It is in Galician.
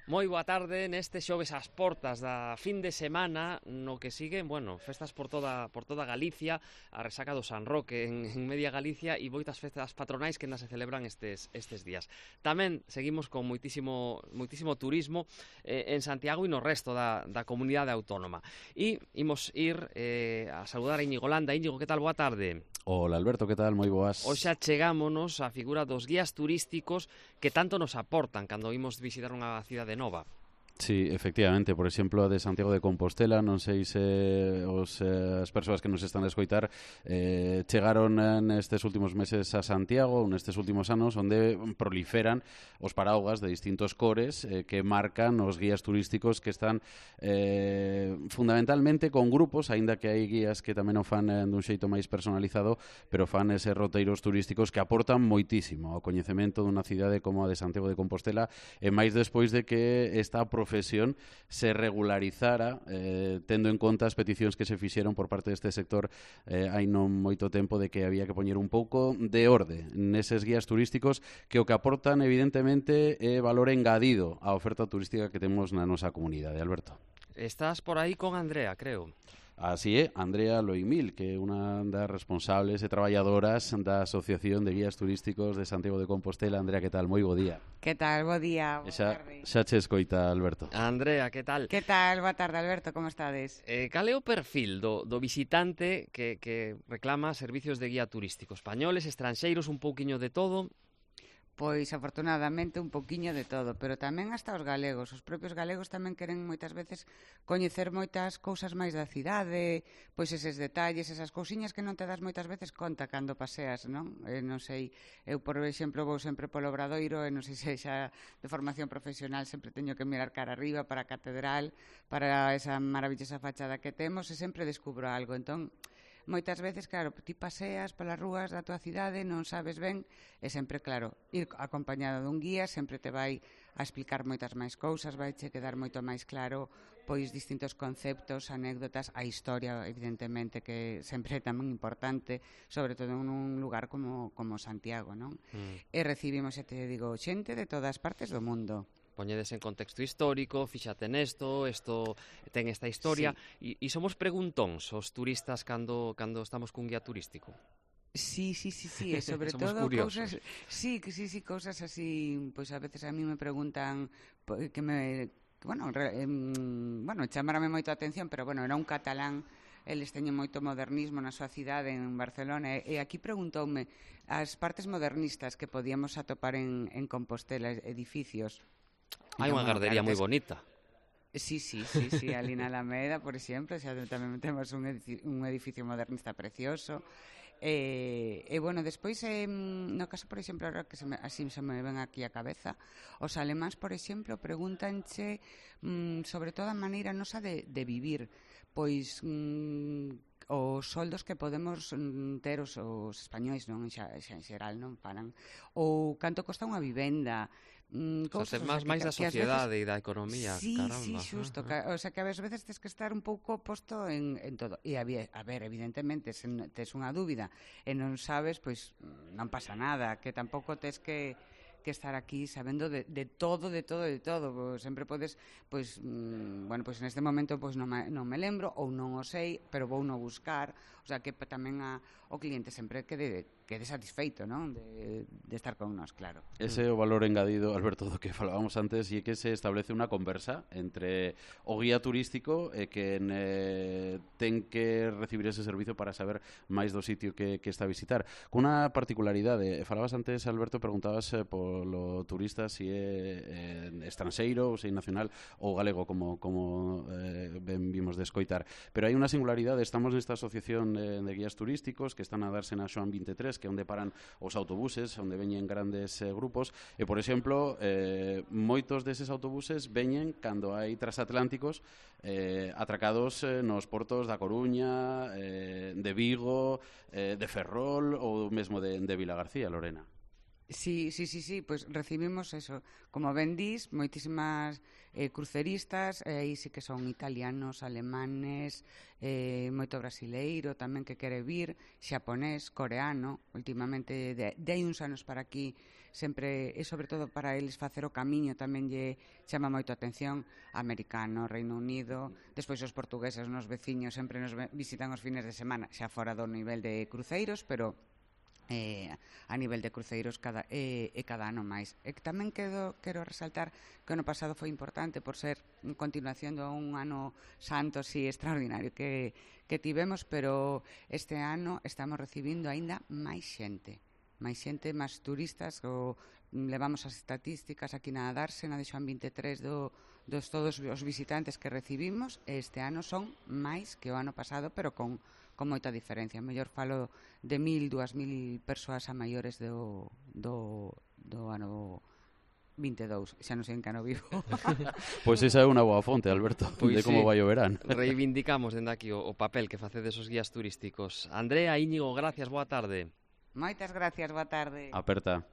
Moi boa tarde neste xoves ás portas da fin de semana no que siguen, festas por toda Galicia, a resaca do San Roque en media Galicia e moitas festas patronais que ainda se celebran estes días. Tamén seguimos con moitísimo turismo en Santiago e no resto da comunidade autónoma. E imos ir a saludar a Íñigo Landa. Íñigo, que tal? Boa tarde. Hola Alberto, que tal? Moi boas. Hoxe chegámonos á figura dos guías turísticos que tanto nos aportan cando imos visitar unha cidade nova. Sí, efectivamente, por exemplo, a de Santiago de Compostela, non sei se as persoas que nos están a escoitar chegaron nestes últimos meses a Santiago, nestes últimos anos, onde proliferan os paraugas de distintos cores que marcan os guías turísticos que están fundamentalmente con grupos, aínda que hai guías que tamén o fan dun xeito máis personalizado, pero fan eses roteiros turísticos que aportan moitísimo ao coñecemento dunha cidade como a de Santiago de Compostela, e máis despois de que esta profesión se regularizara tendo en conta as peticións que se fixeron por parte deste sector hai non moito tempo de que había que poñer un pouco de orde neses guías turísticos que o que aportan evidentemente é valor engadido á oferta turística que temos na nosa comunidade. Alberto. Estás por aí con Andrea, creo. Así é, Andrea Loimil, que é unha das responsables e traballadoras da Asociación de Guías Turísticos de Santiago de Compostela. Andrea, que tal? Moi bo día. Que tal? Bo día, boa tarde. Xa che escoita, Alberto. Andrea, que tal? Que tal? Boa tarde, Alberto, como estades? Cal é o perfil do visitante que reclama servicios de guía turístico? Españoles, estranxeiros, un pouquiño de todo? Pois, afortunadamente, un poquiño de todo, pero tamén hasta os galegos. Os propios galegos tamén queren moitas veces coñecer moitas cousas máis da cidade, pois eses detalles, esas cousiñas que non te das moitas veces conta cando paseas, non? Non sei, eu, por exemplo, vou sempre polo Obradoiro e non sei se xa de formación profesional sempre teño que mirar cara arriba para a catedral, para esa maravillosa fachada que temos e sempre descubro algo. Entón, moitas veces, claro, ti paseas polas rúas da tua cidade, non sabes ben, e sempre, claro, ir acompañado dun guía sempre te vai a explicar moitas máis cousas, vai che quedar moito máis claro pois distintos conceptos, anécdotas, a historia, evidentemente, que sempre é tamén importante, sobre todo nun lugar como Santiago, non? E recibimos, xa te digo, xente de todas partes do mundo. Poñedes en contexto histórico, fíxate nesto, isto ten esta historia, sí. E somos preguntóns os turistas cando estamos cun guía turístico. Sí, e sobre todo cousas, cousas así, pois a veces a mí me preguntan que chamárame moito a atención, pero era un catalán, eles teñen moito modernismo na súa cidade en Barcelona, e aquí preguntoume as partes modernistas que podíamos atopar en Compostela, edificios. Hai unha gardería moi bonita. Sí, ali na Alameda, por exemplo, xa tamén temos un edificio modernista precioso. Despois, no caso, por exemplo, ahora que así se me ven aquí a cabeza, os alemáns, por exemplo, pregúntanche sobre todo a maneira nosa de vivir, pois os soldos que podemos ter os españois, non, en xeral, non paran, ou canto costa unha vivenda, cousas máis da sociedade e da economía. Sí, caramba. sí, xusto, o sea que a veces tens que estar un pouco posto en todo, e a ver, evidentemente, se tes unha dúbida e non sabes, pois non pasa nada, que tampouco tes que estar aquí sabendo de todo. Sempre podes, pois neste momento non me lembro ou non o sei, pero vou no buscar, o sea que tamén o cliente sempre quede satisfeito, non? De estar con nós, claro. Ese é o valor engadido, Alberto, do que falábamos antes, e é que se establece unha conversa entre o guía turístico e quen ten que recibir ese servizo para saber máis do sitio que está a visitar. Con unha particularidade, falabas antes, Alberto, preguntabas polo turista se é estranxeiro ou se é nacional ou galego, como ben vimos de escoitar. Pero hai unha singularidade, estamos nesta asociación de guías turísticos que están a darse na Xoán 23, que é onde paran os autobuses, onde veñen grandes grupos, e, por exemplo, moitos deses autobuses veñen cando hai transatlánticos atracados nos portos da Coruña, de Vigo, de Ferrol ou mesmo de Vilagarcía, Lorena. Sí, pois recibimos eso, como ben dís, moitísimas cruceristas, aí sí que son italianos, alemanes, moito brasileiro tamén que quere vir, xaponés, coreano, últimamente de hai uns anos para aquí sempre, e sobre todo para eles facer o camiño tamén lle chama moito a atención, americano, Reino Unido, despois os portugueses, nos veciños, sempre nos visitan os fines de semana, xa fora do nivel de cruceiros, pero a nivel de cruceiros cada ano máis. E que tamén quero resaltar que o ano pasado foi importante por ser en continuación de un ano santo así extraordinario que tivemos, pero este ano estamos recibindo aínda máis xente, máis turistas, levamos as estatísticas aquí na Dársena de Xoán 23 dos todos os visitantes que recibimos, e este ano son máis que o ano pasado, pero con moita diferencia. Mellor falo de 1.000, 2.000 persoas a maiores do ano 22, xa non sei en que ano vivo. Pois esa é unha boa fonte, Alberto, de como vai o verán. Reivindicamos dende aquí o papel que facedes os guías turísticos. Andrea, Íñigo, gracias, boa tarde. Moitas gracias, boa tarde. Aperta.